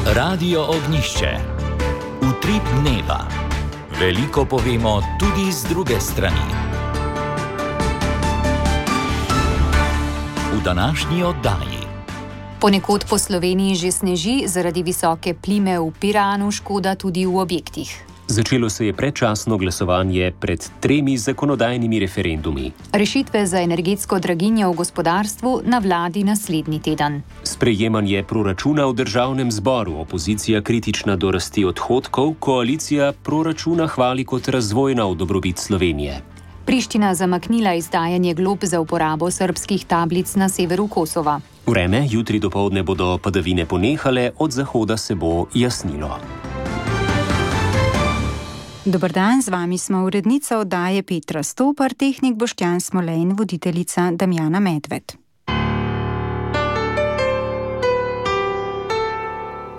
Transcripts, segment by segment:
Radio Ognjišče. Utrip dneva. Veliko povemo tudi z druge strani. V današnji oddaji. Ponekod po Sloveniji že sneži, zaradi visoke plime v Piranu škoda tudi v objektih. Začelo se je predčasno glasovanje pred 3 zakonodajnimi referendumi. Rešitve za energetsko draginjo v gospodarstvu na vladi naslednji teden. Sprejemanje proračuna v državnem zboru, opozicija kritična do rasti odhodkov, koalicija proračuna hvali kot razvojna v dobrobit Slovenije. Priština zamaknila izdajanje glob za uporabo srbskih tablic na severu Kosova. Vreme, jutri dopoldne bodo padavine ponehale, od zahoda se bo jasnilo. Dober dan, z vami smo urednica oddaje Petra Stopar, tehnik Boštjan Smolej in voditeljica Damjana Medved.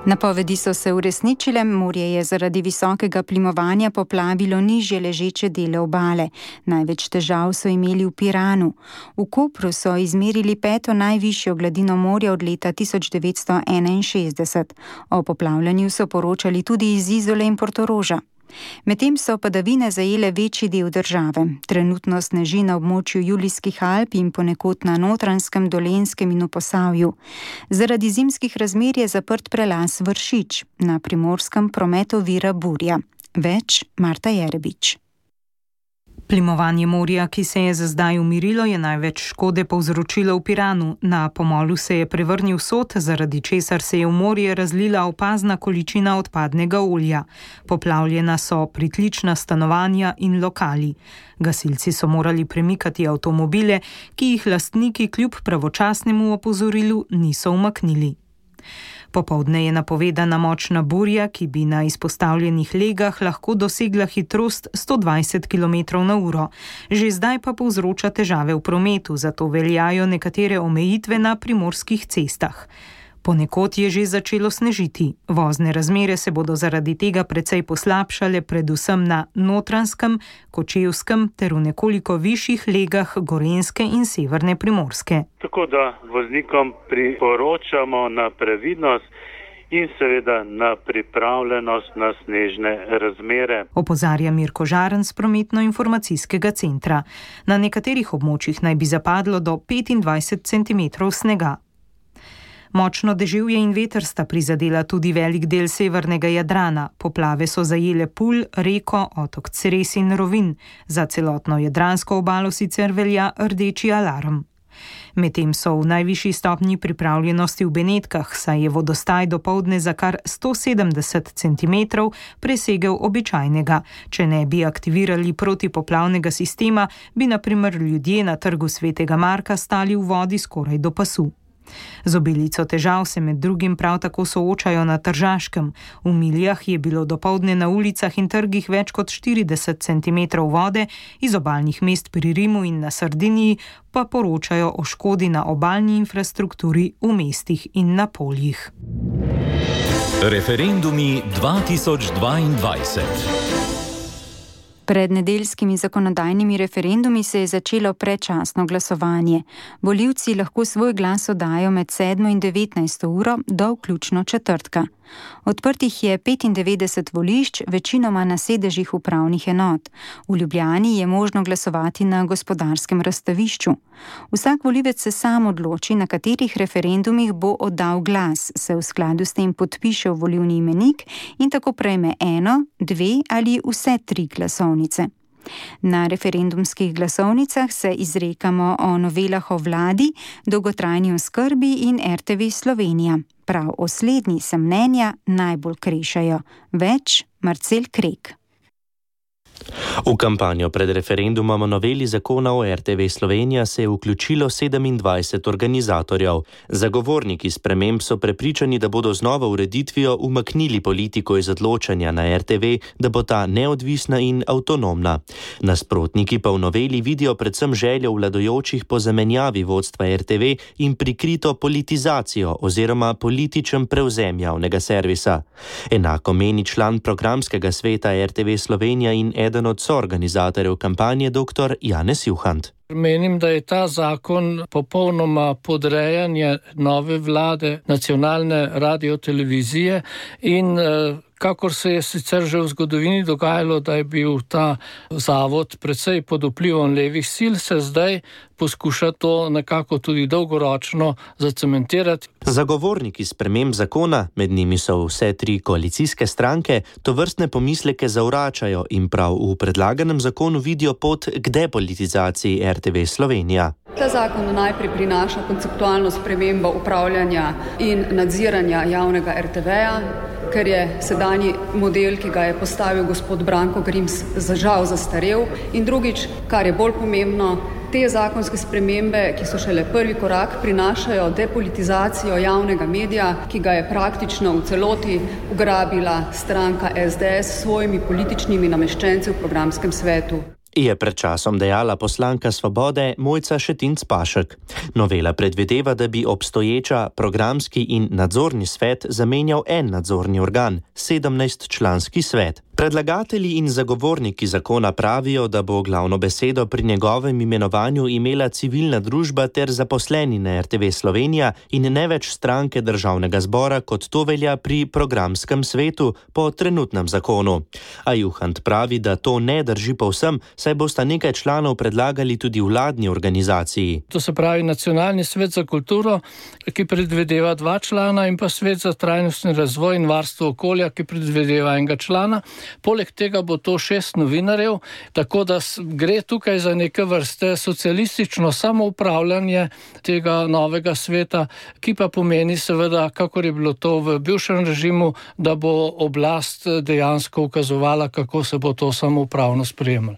Napovedi so se uresničile, morje je zaradi visokega plimovanja poplavilo nižje ležeče dele obale. Največ težav so imeli v Piranu. V Kopru so izmerili 5. najvišjo gladino morja od leta 1961. O poplavljanju so poročali tudi iz Izole in Portoroža. Medtem so padavine zajele večji del države. Trenutno sneži na območju Julijskih Alp in ponekod na Notranjskem, Dolenjskem in v Posavju. Zaradi zimskih razmer je zaprt prelaz Vršič. Na Primorskem promet ovira burja. Več Marta Jerebič. Plimovanje morja, ki se je za zdaj umirilo, je največ škode povzročilo v Piranu. Na pomolu se je prevrnil sod, zaradi česar se je v morje razlila opazna količina odpadnega olja. Poplavljena so pritlična stanovanja in lokali. Gasilci so morali premikati avtomobile, ki jih lastniki kljub pravočasnemu opozorilu niso umaknili. Popoldne je napovedana močna burja, ki bi na izpostavljenih legah lahko dosegla hitrost 120 km/h. Že zdaj pa povzroča težave v prometu, zato veljajo nekatere omejitve na primorskih cestah. Ponekod je že začelo snežiti. Vozne razmere se bodo zaradi tega precej poslabšale, predvsem na Notranjskem, Kočevskem ter v nekoliko višjih legah Gorenjske in severne Primorske. Tako da voznikom priporočamo na previdnost in seveda na pripravljenost na snežne razmere. Opozarja Mirko Žaren z prometno-informacijskega centra. Na nekaterih območjih naj bi zapadlo do 25 cm snega. Močno deževje in veter sta prizadela tudi velik del severnega Jadrana. Poplave so zajele Pulj, Reko, otok Cres in Rovin. Za celotno jadransko obalo sicer velja rdeči alarm. Medtem so v najvišji stopnji pripravljenosti v Benetkah, saj je vodostaj dopoldne za kar 170 cm presegel običajnega. Če ne bi aktivirali protipoplavnega sistema, bi na primer ljudje na trgu Svetega Marka stali v vodi skoraj do pasu. Z obilico težav se med drugim prav tako soočajo na Tržaškem. V Miljah je bilo dopoldne na ulicah in trgih več kot 40 cm vode, iz obalnih mest pri Rimu in na Sardiniji pa poročajo o škodi na obalni infrastrukturi v mestih in na poljih. Referendumi 2022. Pred nedeljskimi zakonodajnimi referendumi se je začelo predčasno glasovanje. Volivci lahko svoj glas oddajo med 7 in 19 uro do vključno četrtka. Odprtih je 95 volišč, večinoma na sedežih upravnih enot. V Ljubljani je možno glasovati na Gospodarskem razstavišču. Vsak volivec se sam odloči, na katerih referendumih bo oddal glas, se v skladu s tem podpiše v volilni imenik in tako prejme 1, 2 ali vse 3 glasovnice. Na referendumskih glasovnicah se izrekamo o novelah o vladi, dolgotrajni oskrbi in RTV Slovenija. Prav o slednji se mnenja najbolj krešajo. Več Marcel Krek. V kampanjo pred referendumom o noveli zakona o RTV Slovenija se je vključilo 27 organizatorjev. Zagovorniki sprememb so prepričani, da bodo z novo ureditvijo umaknili politiko iz odločanja na RTV, da bo ta neodvisna in avtonomna. Nasprotniki pa v noveli vidijo predvsem željo vladajočih po zamenjavi vodstva RTV in prikrito politizacijo oziroma političen prevzem javnega servisa. Enako meni član programskega sveta RTV Slovenija in eden od soorganizatorjev kampanje dr. Janez Juhant. Menim, da je ta zakon popolnoma podrejanje nove vlade, nacionalne radiotelevizije in kakor se je sicer že v zgodovini dogajalo, da je bil ta zavod precej pod vplivom levih sil, se zdaj poskuša to nekako tudi dolgoročno zacementirati. Zagovorniki sprememb zakona, med njimi so vse 3 koalicijske stranke, tovrstne pomisleke zavračajo in prav v predlaganem zakonu vidijo pot k depolitizaciji RTV Slovenija. Ta zakon najprej prinaša konceptualno spremembo upravljanja in nadziranja javnega RTV-ja, ker je sedanji model, ki ga je postavil gospod Branko Grims, žal zastarel. In drugič, kar je bolj pomembno, te zakonske spremembe, ki so šele prvi korak, prinašajo depolitizacijo javnega medija, ki ga je praktično v celoti ugrabila stranka SDS s svojimi političnimi nameščenci v programskem svetu. Je pred časom dejala poslanka Svobode Mojca Šetinc Pašek. Novela predvideva, da bi obstoječa programski in nadzorni svet zamenjal en nadzorni organ, 17-članski svet. Predlagatelji in zagovorniki zakona pravijo, da bo glavno besedo pri njegovem imenovanju imela civilna družba ter zaposleni na RTV Slovenija in ne več stranke državnega zbora, kot to velja pri programskem svetu po trenutnem zakonu. A Juhant pravi, da to ne drži povsem, saj bosta nekaj članov predlagali tudi vladni organizaciji. To se pravi Nacionalni svet za kulturo, ki predvideva 2 člana, in pa Svet za trajnostni razvoj in varstvo okolja, ki predvideva 1 člana. Poleg tega bo to 6 novinarjev, tako da gre tukaj za neke vrste socialistično samoupravljanje tega novega sveta, ki pa pomeni seveda, kakor je bilo to v bivšem režimu, da bo oblast dejansko ukazovala, kako se bo to samoupravno sprejemalo.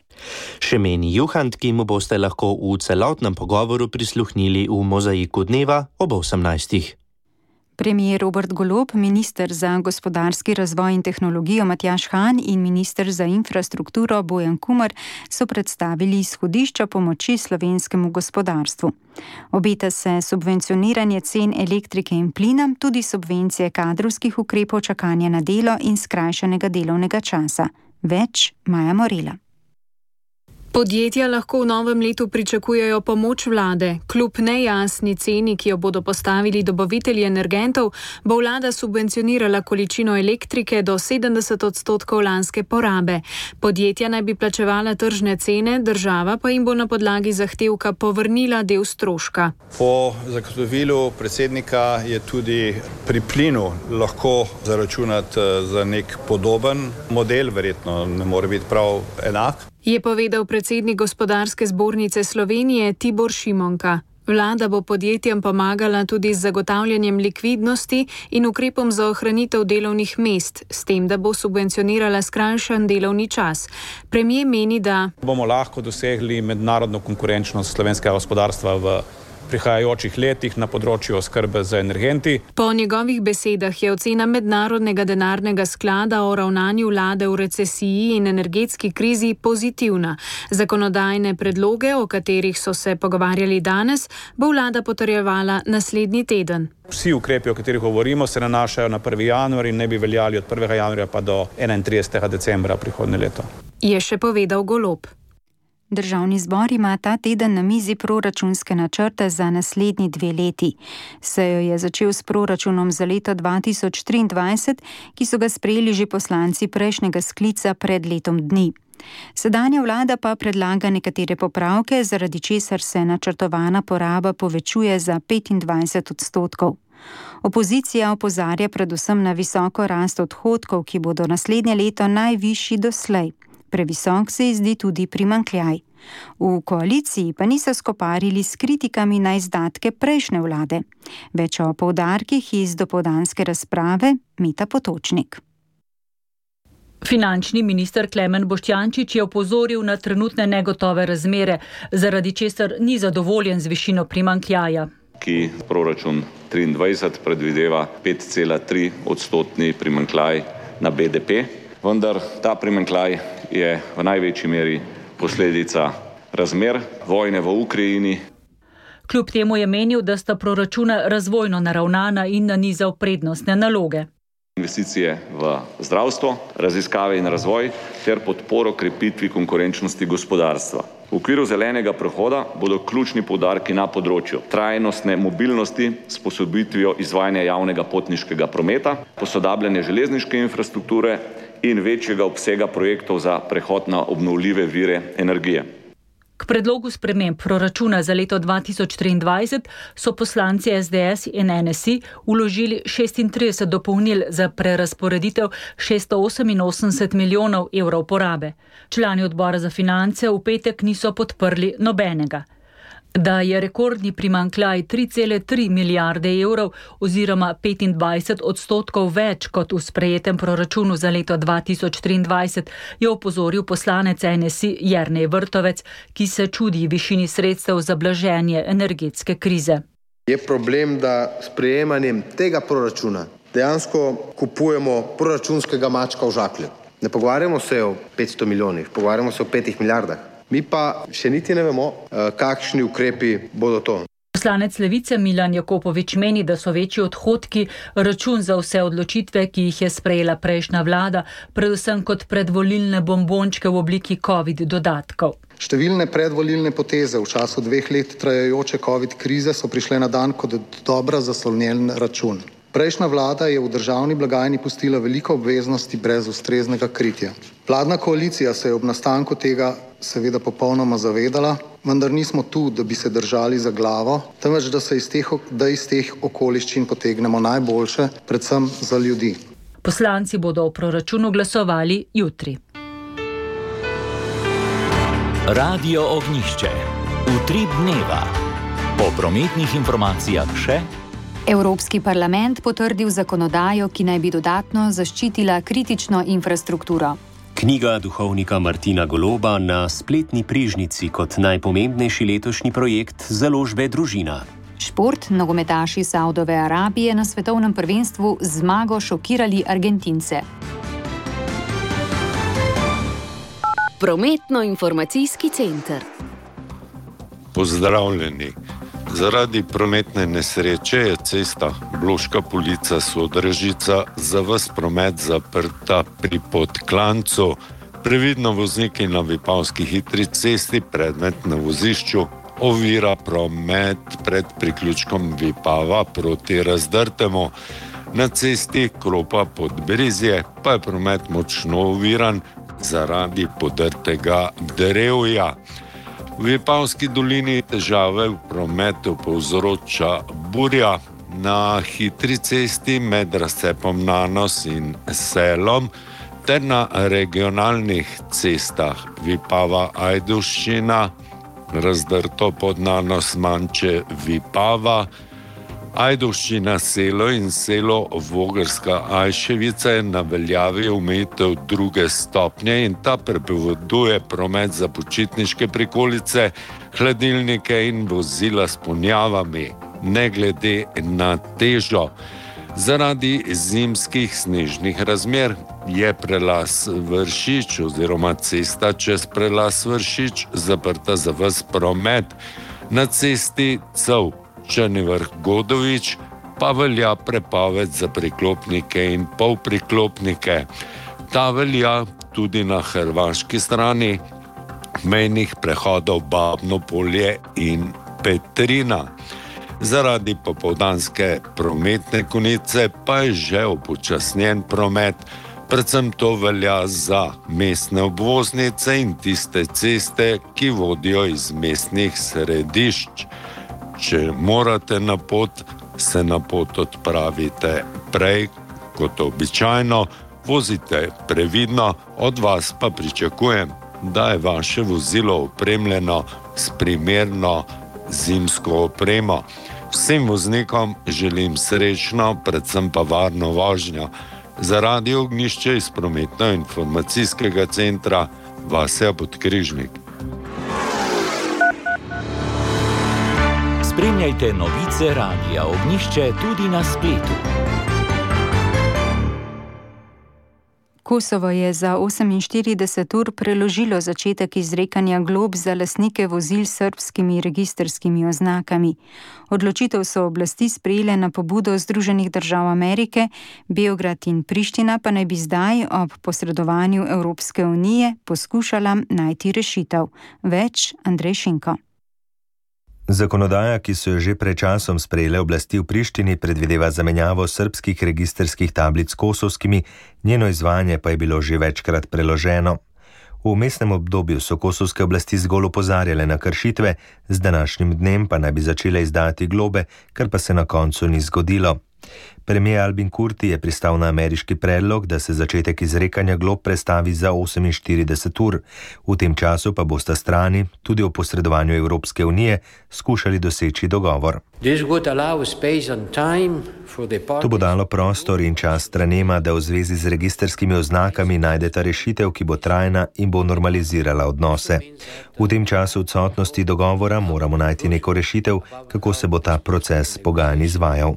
Še meni Juhant, ki mu boste lahko v celotnem pogovoru prisluhnili v Mozaiku dneva ob 18. Premier Robert Golob, minister za gospodarski razvoj in tehnologijo Matjaž Han in minister za infrastrukturo Bojan Kumer so predstavili izhodišča pomoči slovenskemu gospodarstvu. Obeta se subvencioniranje cen elektrike in plina, tudi subvencije kadrovskih ukrepov čakanja na delo in skrajšanega delovnega časa. Več Maja Morela. Podjetja lahko v novem letu pričakujejo pomoč vlade. Kljub nejasni ceni, ki jo bodo postavili dobavitelji energentov, bo vlada subvencionirala količino elektrike do 70% lanske porabe. Podjetja naj bi plačevala tržne cene, država pa jim bo na podlagi zahtevka povrnila del stroška. Po zagotovilu predsednika je tudi pri plinu lahko zaračunati za nek podoben model, verjetno ne more biti prav enak. Je povedal predsednik Gospodarske zbornice Slovenije Tibor Šimonka. Vlada bo podjetjem pomagala tudi z zagotavljanjem likvidnosti in ukrepom za ohranitev delovnih mest, s tem, da bo subvencionirala skrajšan delovni čas. Premier meni, da bomo lahko dosegli mednarodno konkurenčnost slovenskega gospodarstva v prihajajočih letih na področju oskrbe z energenti. Po njegovih besedah je ocena Mednarodnega denarnega sklada o ravnanju vlade v recesiji in energetski krizi pozitivna. Zakonodajne predloge, o katerih so se pogovarjali danes, bo vlada potrjevala naslednji teden. Vsi ukrepi, o katerih govorimo, se nanašajo na 1. januar in ne bi veljali od 1. januarja pa do 31. decembra prihodnje leto. Je še povedal Golob. Državni zbor ima ta teden na mizi proračunske načrte za naslednji 2 leti. Sejo je začel s proračunom za leto 2023, ki so ga sprejeli že poslanci prejšnjega sklica pred letom dni. Sedanja vlada pa predlaga nekatere popravke, zaradi česar se načrtovana poraba povečuje za 25%. Opozicija opozarja predvsem na visoko rast odhodkov, ki bodo naslednje leto najvišji doslej. Previsok se zdi tudi primanjkljaj. V koaliciji pa niso skoparili s kritikami na izdatke prejšnje vlade. Več o poudarkih iz dopoldanske razprave Meta Potočnik. Finančni minister Klemen Boštjančič je opozoril na trenutne negotove razmere, zaradi česar ni zadovoljen z višino primanjkljaja. Ki proračun 23 predvideva 5,3% primanjkljaj na BDP, vendar ta primanjkljaj je v največji meri posledica razmer vojne v Ukrajini. Kljub temu je menil, da sta proračuna razvojno naravnana in nanizal prednostne naloge. investicije v zdravstvo, raziskave in razvoj ter podporo krepitvi konkurenčnosti gospodarstva. V okviru zelenega prehoda bodo ključni poudarki na področju trajnostne mobilnosti s posodobitvijo izvajanja javnega potniškega prometa, posodabljanje železniške infrastrukture in večjega obsega projektov za prehod na obnovljive vire energije. K predlogu sprememb proračuna za leto 2023 so poslanci SDS in NSI vložili 36 dopolnil za prerazporeditev 688 milijonov evrov porabe. Člani odbora za finance v petek niso podprli nobenega. Da je rekordni primanjkljaj 3,3 milijarde evrov oziroma 25% več kot v sprejetem proračunu za leto 2023, je opozoril poslanec NSI Jernej Vrtovec, ki se čudi višini sredstev za blaženje energetske krize. Je problem, da s sprejemanjem tega proračuna dejansko kupujemo proračunskega mačka v žaklju. Ne pogovarjamo se o 500 milijonih, pogovarjamo se o 5 milijardah. Mi pa še niti ne vemo, kakšni ukrepi bodo to. Poslanec Levice Milan Jakopovič meni, da so večji odhodki račun za vse odločitve, ki jih je sprejela prejšnja vlada, predvsem kot predvolilne bombončke v obliki COVID dodatkov. Številne predvolilne poteze v času 2 let trajajoče COVID krize so prišle na dan kot dobra zaslonjen račun. Prejšnja vlada je v državni blagajni pustila veliko obveznosti brez ustreznega kritja. Vladna koalicija se je ob nastanku tega seveda popolnoma zavedala, vendar nismo tu, da bi se držali za glavo, temveč da iz teh okoliščin potegnemo najboljše, predvsem za ljudi. Poslanci bodo o proračunu glasovali jutri. Radio Ognjišče. Utrip dneva. Po prometnih informacijah še. Evropski parlament potrdil zakonodajo, ki naj bi dodatno zaščitila kritično infrastrukturo. Knjiga duhovnika Martina Goloba na spletni prižnici kot najpomembnejši letošnji projekt založbe Družina. Šport, nogometaši Saudove Arabije na svetovnem prvenstvu z zmago šokirali Argentince. Prometno-informacijski center. Pozdravljeni. Zaradi prometne nesreče je cesta Bloška Polica-Sodražica za ves promet zaprta pri Podklancu. Previdno vozniki na Vipavski hitri cesti predmet na vozišču ovira promet pred priključkom Vipava proti Razdrtemu. Na cesti Kropa-Podbrezje pa je promet močno oviran zaradi podrtega drevja. V Vipavski dolini težave v prometu povzroča burja na hitri cesti med razcepom Nanos in Selom ter na regionalnih cestah Vipava-Ajdovščina, Razdrto pod Nanos Manče Vipava, Ajdovščina Selo in Selo Vogrska Ajševica je na veljavi omejitev 2. stopnje in ta prepoveduje promet za počitniške prikolice, hladilnike in vozila s ponjavami, ne glede na težo. Zaradi zimskih snežnih razmer je prelaz Vršič oziroma cesta čez prelaz Vršič zaprta za ves promet. Na cesti Cov Črni vrh Godovič pa velja prepoved za priklopnike in polpriklopnike. Ta velja tudi na hrvaški strani mejnih prehodov Babno Polje in Petrina. Zaradi popoldanske prometne konice pa je že upočasnjen promet, predvsem to velja za mestne obvoznice in tiste ceste, ki vodijo iz mestnih središč. Če morate na pot, se na pot odpravite prej kot običajno, vozite previdno, od vas pa pričakujem, da je vaše vozilo opremljeno s primerno zimsko opremo. Vsem voznikom želim srečno, predvsem pa varno vožnjo. Za Radio Ognjišče iz prometno-informacijskega centra Vasja Podkrižnik. Spremljajte novice Radia Ognjišče tudi na spletu. Kosovo je za 48 ur preložilo začetek izrekanja glob za lastnike vozil s srbskimi registrskimi oznakami. Odločitev so oblasti sprejele na pobudo Združenih držav Amerike, Beograd in Priština pa naj bi zdaj ob posredovanju Evropske unije poskušala najti rešitev. Več Andrej Šinko. Zakonodaja, ki so jo že pred časom sprejele oblasti v Prištini, predvideva zamenjavo srbskih registrskih tablic s kosovskimi, njeno izvajanje pa je bilo že večkrat preloženo. V vmesnem obdobju so kosovske oblasti zgolj opozarjale na kršitve, z današnjim dnem pa naj bi začele izdajati globe, kar pa se na koncu ni zgodilo. Premijer Albin Kurti je pristal na ameriški predlog, da se začetek izrekanja glob prestavi za 48 ur. V tem času pa bosta strani, tudi o posredovanju Evropske unije, skušali doseči dogovor. To bo dalo prostor in čas stranema, da v zvezi z registrskimi oznakami najdeta rešitev, ki bo trajna in bo normalizirala odnose. V tem času odsotnosti dogovora moramo najti neko rešitev, kako se bo ta proces pogajanj izvajal,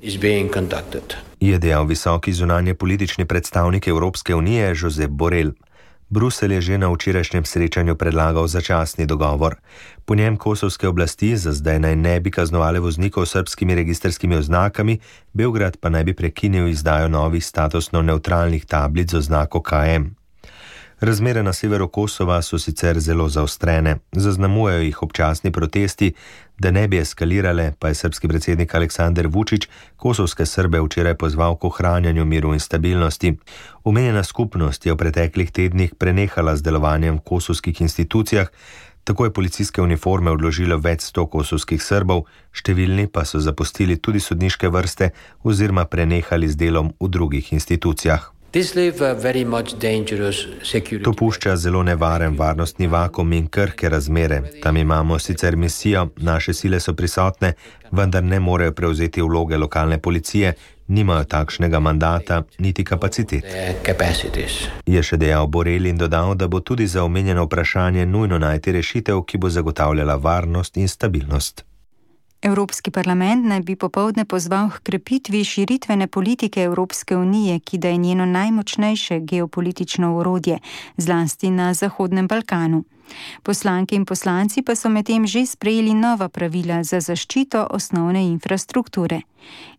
je dejal visoki zunanje politični predstavnik Evropske unije Josep Borrell. Bruselj je že na včerajšnjem srečanju predlagal začasni dogovor. Po njem kosovske oblasti za zdaj naj ne bi kaznovale voznikov s srbskimi registrskimi oznakami, Beograd pa naj bi prekinil izdajo novih statusno nevtralnih tablic z oznako KM. Razmere na severu Kosova so sicer zelo zaostrene, zaznamujejo jih občasni protesti, da ne bi eskalirale, pa je srbski predsednik Aleksandar Vučić kosovske Srbe včeraj pozval k ohranjanju miru in stabilnosti. Omenjena skupnost je v preteklih tednih prenehala z delovanjem v kosovskih institucijah, tako je policijske uniforme odložilo več 100 kosovskih Srbov, številni pa so zapustili tudi sodniške vrste oziroma prenehali z delom v drugih institucijah. To pušča zelo nevaren varnostni vakuum in krhke razmere. Tam imamo sicer misijo, naše sile so prisotne, vendar ne morejo prevzeti vloge lokalne policije, nimajo takšnega mandata niti kapacitet, je še dejal Borrell in dodal, da bo tudi za omenjeno vprašanje nujno najti rešitev, ki bo zagotavljala varnost in stabilnost. Evropski parlament naj bi popoldne pozval k krepitvi širitvene politike Evropske unije, ki da je njeno najmočnejše geopolitično orodje, zlasti na Zahodnem Balkanu. Poslanke in poslanci pa so medtem že sprejeli nova pravila za zaščito osnovne infrastrukture.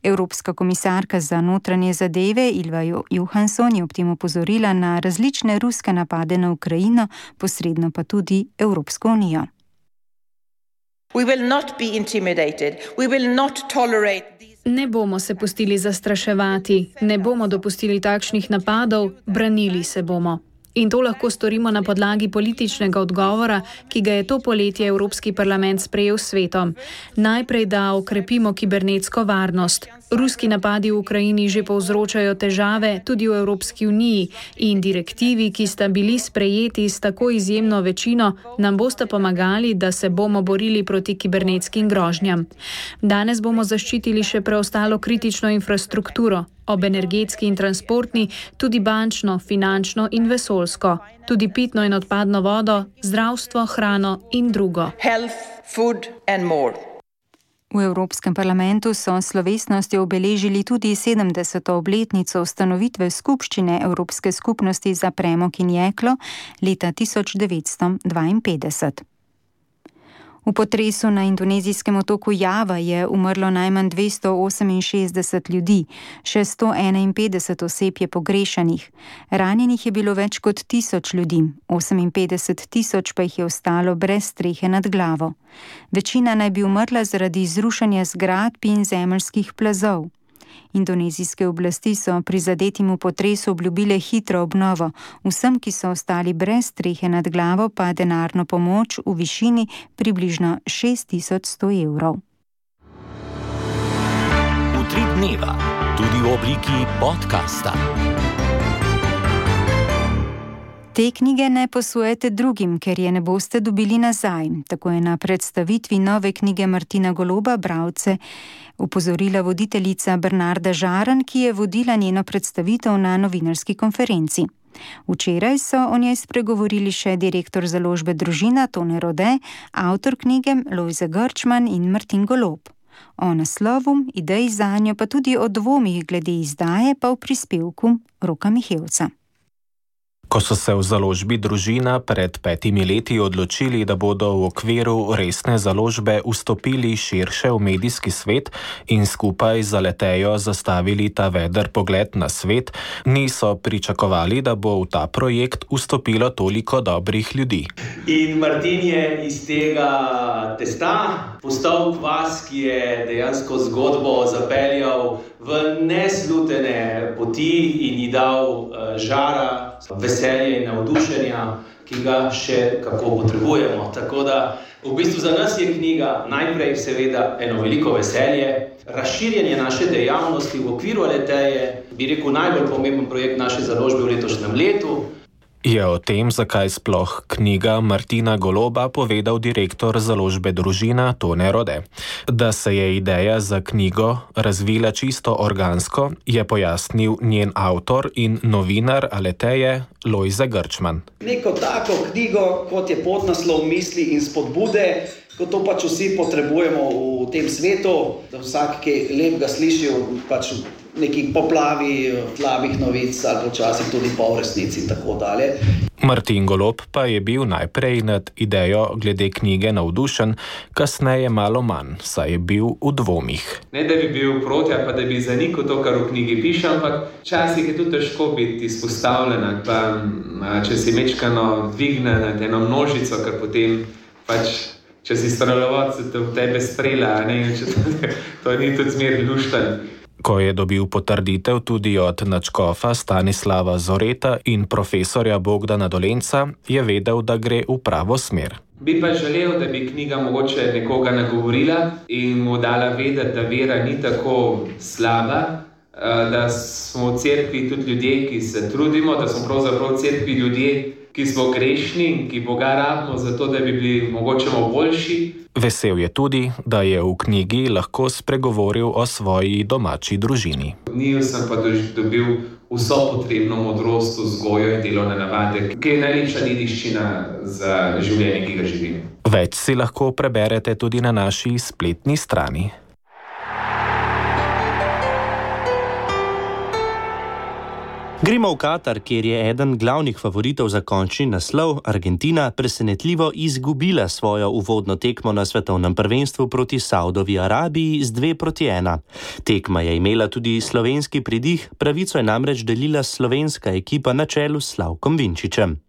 Evropska komisarka za notranje zadeve Ylva Johansson je ob tem opozorila na različne ruske napade na Ukrajino, posredno pa tudi Evropsko unijo. Ne bomo se pustili zastraševati, ne bomo dopustili takšnih napadov, branili se bomo. In to lahko storimo na podlagi političnega odgovora, ki ga je to poletje Evropski parlament sprejel s svetom. Najprej, da okrepimo kibernetsko varnost. Ruski napadi v Ukrajini že povzročajo težave tudi v Evropski uniji in direktivi, ki sta bili sprejeti s tako izjemno večino, nam bosta pomagali, da se bomo borili proti kibernetskim grožnjam. Danes bomo zaščitili še preostalo kritično infrastrukturo, ob energetski in transportni, tudi bančno, finančno in vesoljsko, tudi pitno in odpadno vodo, zdravstvo, hrano in drugo. Health, food and more. V Evropskem parlamentu so s slovesnostjo obeležili tudi 70. obletnico ustanovitve skupščine Evropske skupnosti za premog in jeklo leta 1952. V potresu na indonezijskem otoku Java je umrlo najmanj 268 ljudi, še 151 oseb je pogrešanih. Ranjenih je bilo več kot 1000 ljudi, 58 000 pa jih je ostalo brez strehe nad glavo. Večina naj bi umrla zaradi zrušanja zgradb in zemeljskih plazov. Indonezijske oblasti so prizadetim v potresu obljubile hitro obnovo, vsem, ki so ostali brez strehe nad glavo, pa denarno pomoč v višini približno 6100 evrov. Utrip dneva, tudi v obliki podcasta. Te knjige ne posojete drugim, ker je ne boste dobili nazaj. Tako je na predstavitvi nove knjige Martina Goloba bralce upozorila voditeljica Bernarda Žaran, ki je vodila njeno predstavitev na novinarski konferenci. Včeraj so o njej spregovorili še direktor založbe Družina Tone Rode, avtor knjige Lojze Grčman in Martin Golob. O naslovu, ideji zanjo, pa tudi o dvomih glede izdaje pa v prispevku Roka Mihevca. Ko so se v založbi Družina pred 5 leti odločili, da bodo v okviru resne založbe vstopili širše v medijski svet in skupaj z Aletejo zastavili ta veder pogled na svet, niso pričakovali, da bo v ta projekt vstopilo toliko dobrih ljudi. In Martin je iz tega testa postal kvas, ki je dejansko zgodbo zapeljal v neslutene poti in ji dal žara, veselje in navdušenja, ki ga še kako potrebujemo. Tako da v bistvu za nas je knjiga najprej seveda eno veliko veselje, razširjanje naše dejavnosti v okviru Aleteje, bi rekel najbolj pomemben projekt naše založbe v letošnjem letu. Je o tem, zakaj sploh knjiga Martina Goloba, povedal direktor založbe Družina Tone Rode. Da se je ideja za knjigo razvila čisto organsko, je pojasnil njen avtor in novinar Aleteje Lojze Grčman. Neko tako knjigo, kot je podnaslov Misli in spodbude, kot to pač vsi potrebujemo v tem svetu, da vsak, ki lepega sliši, pač nekih poplavi, slabih novic ali počasih tudi pol resnici in tako dalje. Martin Golob pa je bil najprej nad idejo glede knjige navdušen, kasneje malo manj, saj je bil v dvomih. Ne, da bi bil proti, pa da bi zanikal to, kar v knjigi piše, ampak včasih je tudi težko biti izpostavljena, pa če si mečkano dvigne nad eno množico, ker potem pač, če si strelovat, se v tebe strela, ne, to ni tudi zmer lušten. Ko je dobil potrditev tudi od nadškofa Stanislava Zoreta in profesorja Bogdana Dolenca, je vedel, da gre v pravo smer. Bi pa želel, da bi knjiga mogoče nekoga nagovorila in mu dala vedeti, da vera ni tako slaba, da smo v cerkvi tudi ljudje, ki se trudimo, da smo pravzaprav v cerkvi ljudje, ki smo grešni in ki Boga rabimo zato, da bi bili mogoče boljši. Vesel je tudi, da je v knjigi lahko spregovoril o svoji domači družini. V njiju sem pa dobil vso potrebno modrost, vzgojo in delovne navade, ki je najlepša dediščina za življenje, ki ga živim. Več si lahko preberete tudi na naši spletni strani. Gremo v Katar, kjer je eden glavnih favoritov za končni naslov, Argentina, presenetljivo izgubila svojo uvodno tekmo na svetovnem prvenstvu proti Saudovi Arabiji z 2-1. Tekma je imela tudi slovenski pridih, pravico je namreč delila slovenska ekipa na čelu s Slavkom Vinčičem.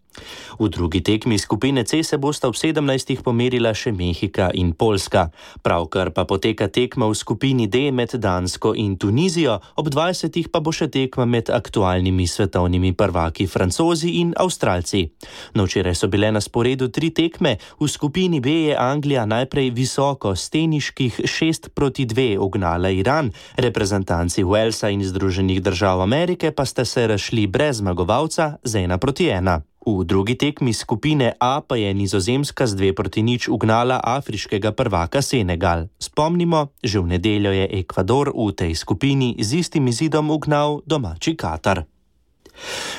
V drugi tekmi skupine C se bosta v 17. pomerila še Mehika in Poljska. Pravkar pa poteka tekma v skupini D med Dansko in Tunizijo, ob 20. pa bo še tekma med aktualnimi svetovnimi prvaki Francozi in Avstralci. No, včeraj so bile na sporedu 3 tekme, v skupini B je Anglija najprej visoko s teniških 6-2 ugnala Iran, reprezentanci Walesa in Združenih držav Amerike pa sta se razšli brez zmagovalca z 1-1. V drugi tekmi skupine A pa je Nizozemska z 2-0 ugnala afriškega prvaka Senegal. Spomnimo, že v nedeljo je Ekvador v tej skupini z istim izidom ugnal domači Katar.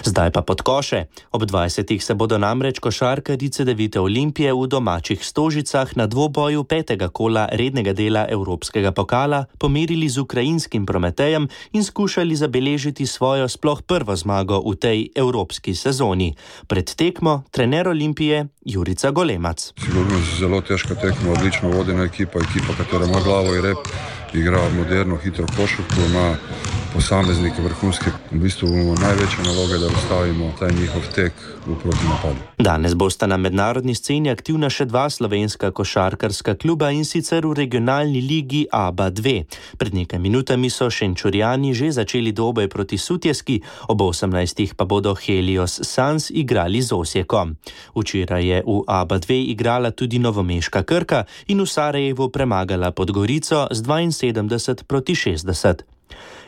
Zdaj pa pod koše. Ob 20. se bodo namreč košarkarice Devite Olimpije v domačih Stožicah na dvoboju 5. kola rednega dela Evropskega pokala pomerili z ukrajinskim Prometejem in skušali zabeležiti svojo sploh prvo zmago v tej evropski sezoni. Pred tekmo trener Olimpije Jurica Golemac. Sigurno zelo težka tekma, odlično vodena ekipa, katera ima glavo in rep, igra moderno, hitro košarko, ima posameznike vrhunske. V bistvu največja naloga je, da ustavimo ta njihov tek v protinapadu. Danes bosta na mednarodni sceni aktivna še 2 slovenska košarkarska kluba in sicer v regionalni ligi ABA 2. Pred nekaj minutami so Šenčurjani že začeli dvoboj proti Sutjeski, ob 18. pa bodo Helios Sans igrali z Osijekom. Včeraj je v ABA 2 igrala tudi novomeška Krka in v Sarajevu premagala Podgorico z 72-60.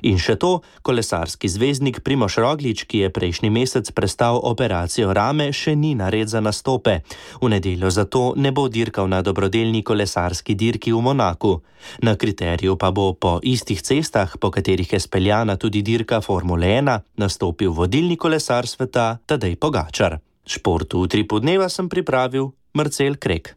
In še to, kolesarski zvezdnik Primož Roglič, ki je prejšnji mesec prestal operacijo rame, še ni nared za nastope. V nedeljo zato ne bo dirkal na dobrodelni kolesarski dirki v Monaku. Na kriteriju pa bo po istih cestah, po katerih je speljana tudi dirka Formule 1, nastopil vodilni kolesar sveta Tadej Pogačar. Športu v Utripu dneva sem pripravil Marcel Krek.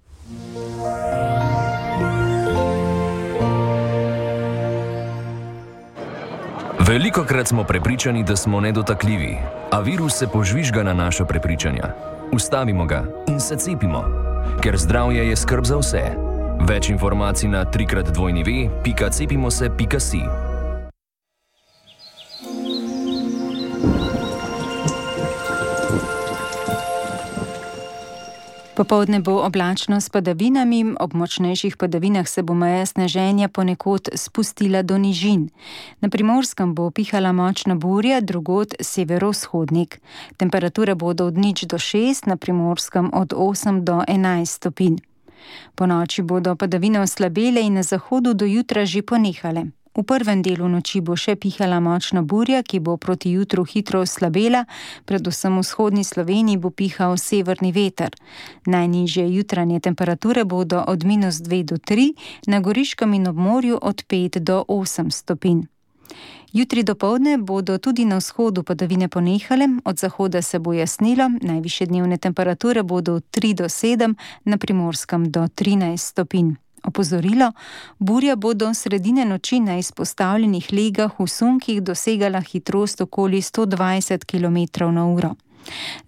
Velikokrat smo prepričani, da smo nedotakljivi, a virus se požvižga na naša prepričanja. Ustavimo ga in se cepimo, ker zdravje je skrb za vse. Več informacij na 3x2v.cepimose.si. Popoldne bo oblačno s padavinami, ob močnejših padavinah se bo meja sneženja ponekod spustila do nižin. Na Primorskem bo pihala močna burja, drugod severovzhodnik. Temperature bodo od 0 do 6, na Primorskem od 8 do 11 stopinj. Ponoči bodo padavine oslabele in na zahodu do jutra že ponehale. V prvem delu noči bo še pihala močna burja, ki bo proti jutru hitro oslabela, predvsem v vzhodni Sloveniji bo pihal severni veter. Najnižje jutranje temperature bodo od -2 do 3, na Goriškem in ob morju od 5 do 8 stopinj. Jutri dopoldne bodo tudi na vzhodu padavine ponehale, od zahoda se bo jasnilo, najvišje dnevne temperature bodo od 3 do 7, na Primorskem do 13 stopinj. Opozorilo, burja bo do sredine noči na izpostavljenih legah v sunkih dosegala hitrost okoli 120 km/h.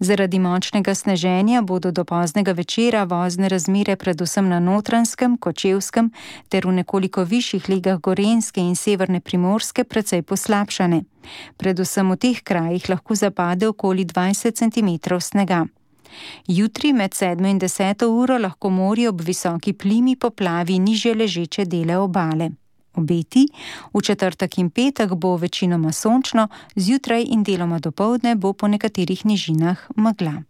Zaradi močnega sneženja bodo do poznega večera vozne razmere predvsem na Notranjskem, Kočevskem ter v nekoliko višjih legah Gorenjske in severne Primorske precej poslabšane. Predvsem v teh krajih lahko zapade okoli 20 cm snega. Jutri med 7 in 10 uro lahko morje ob visoki plimi poplavi nižje ležeče dele obale. Obeti, v četrtek in petek bo večinoma sončno, zjutraj in deloma dopoldne bo po nekaterih nižinah megla.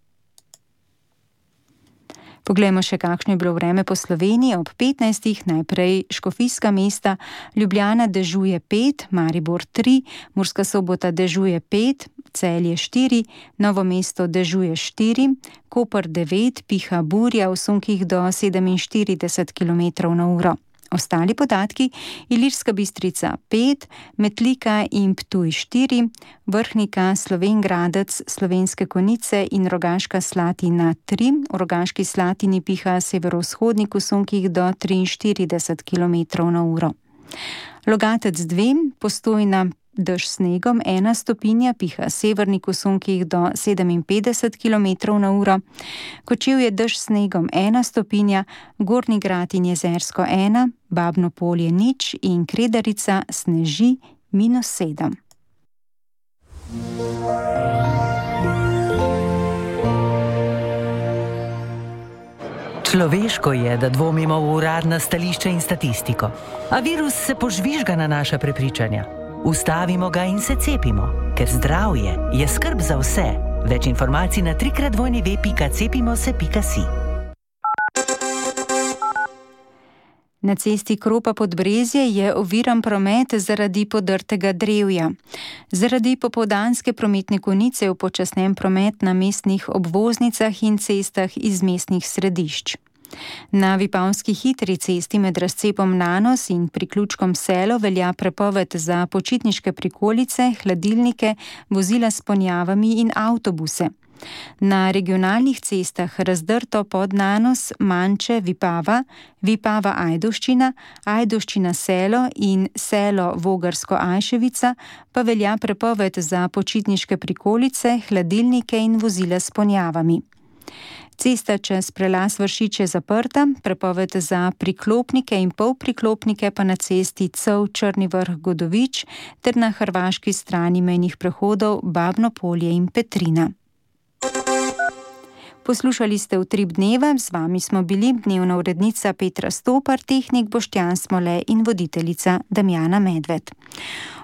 Poglejmo še, kakšno je bilo vreme po Sloveniji ob 15. Najprej Škofijska Mesta, Ljubljana dežuje 5, Maribor 3, Murska Sobota dežuje 5, Celje 4, Novo mesto dežuje 4, Koper 9, piha burja v sunkih do 47 km/h. Ostali podatki: Ilirska Bistrica 5, Metlika in Ptuj 4, Vrhnika, Slovenj Gradec, Slovenske Konjice in Rogaška Slatina 3. V Rogaški Slatini piha severovzhodnik v sunkih do 43 km/h. Logatec 2, Postojna dež snegom 1 stopinja, piha severnik v sunkih do 57 km/h. Kočevje dež snegom 1 stopinja, Gornji Grad in Jezersko 1, Babno Polje 0 in Kredarica sneži -7. Človeško je, da dvomimo v uradna stališča in statistiko, a virus se požvižga na naša prepričanja. Ustavimo ga in se cepimo, ker zdravje je skrb za vse. Več informacij na 3x2v.cepimose.si. Na cesti Kropa-Podbrezje je oviran promet zaradi podrtega drevja. Zaradi popoldanske prometne konice je upočasnjen promet na mestnih obvoznicah in cestah iz mestnih središč. Na Vipavski hitri cesti med razcepom Nanos in priključkom Selo velja prepoved za počitniške prikolice, hladilnike, vozila s ponjavami in avtobuse. Na regionalnih cestah Razdrto pod Nanos, Manče, Vipava, Vipava Ajdovščina, Ajdovščina Selo in Selo Vogarsko Ajševica pa velja prepoved za počitniške prikolice, hladilnike in vozila s ponjavami. Cesta čez prelaz Vršič je zaprta, prepoved za priklopnike in polpriklopnike pa na cesti Cov Črni Vrh Godovič ter na hrvaški strani mejnih prehodov Babno Polje in Petrina. Poslušali ste Utrip dneva, z vami smo bili dnevna urednica Petra Stopar, tehnik Boštjan Smole in voditeljica Damjana Medved.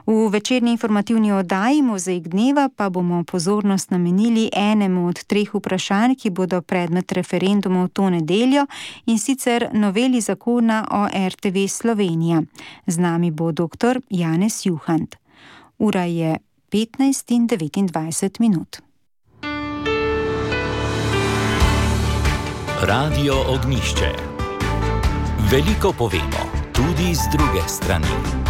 V večerni informativni oddaji Mozaik dneva pa bomo pozornost namenili enemu od 3 vprašanj, ki bodo predmet referendumov to nedeljo, in sicer noveli zakona o RTV Slovenija. Z nami bo dr. Janez Juhant. Ura je 15:29. Radio Ognjišče. Veliko povemo, tudi z druge strani.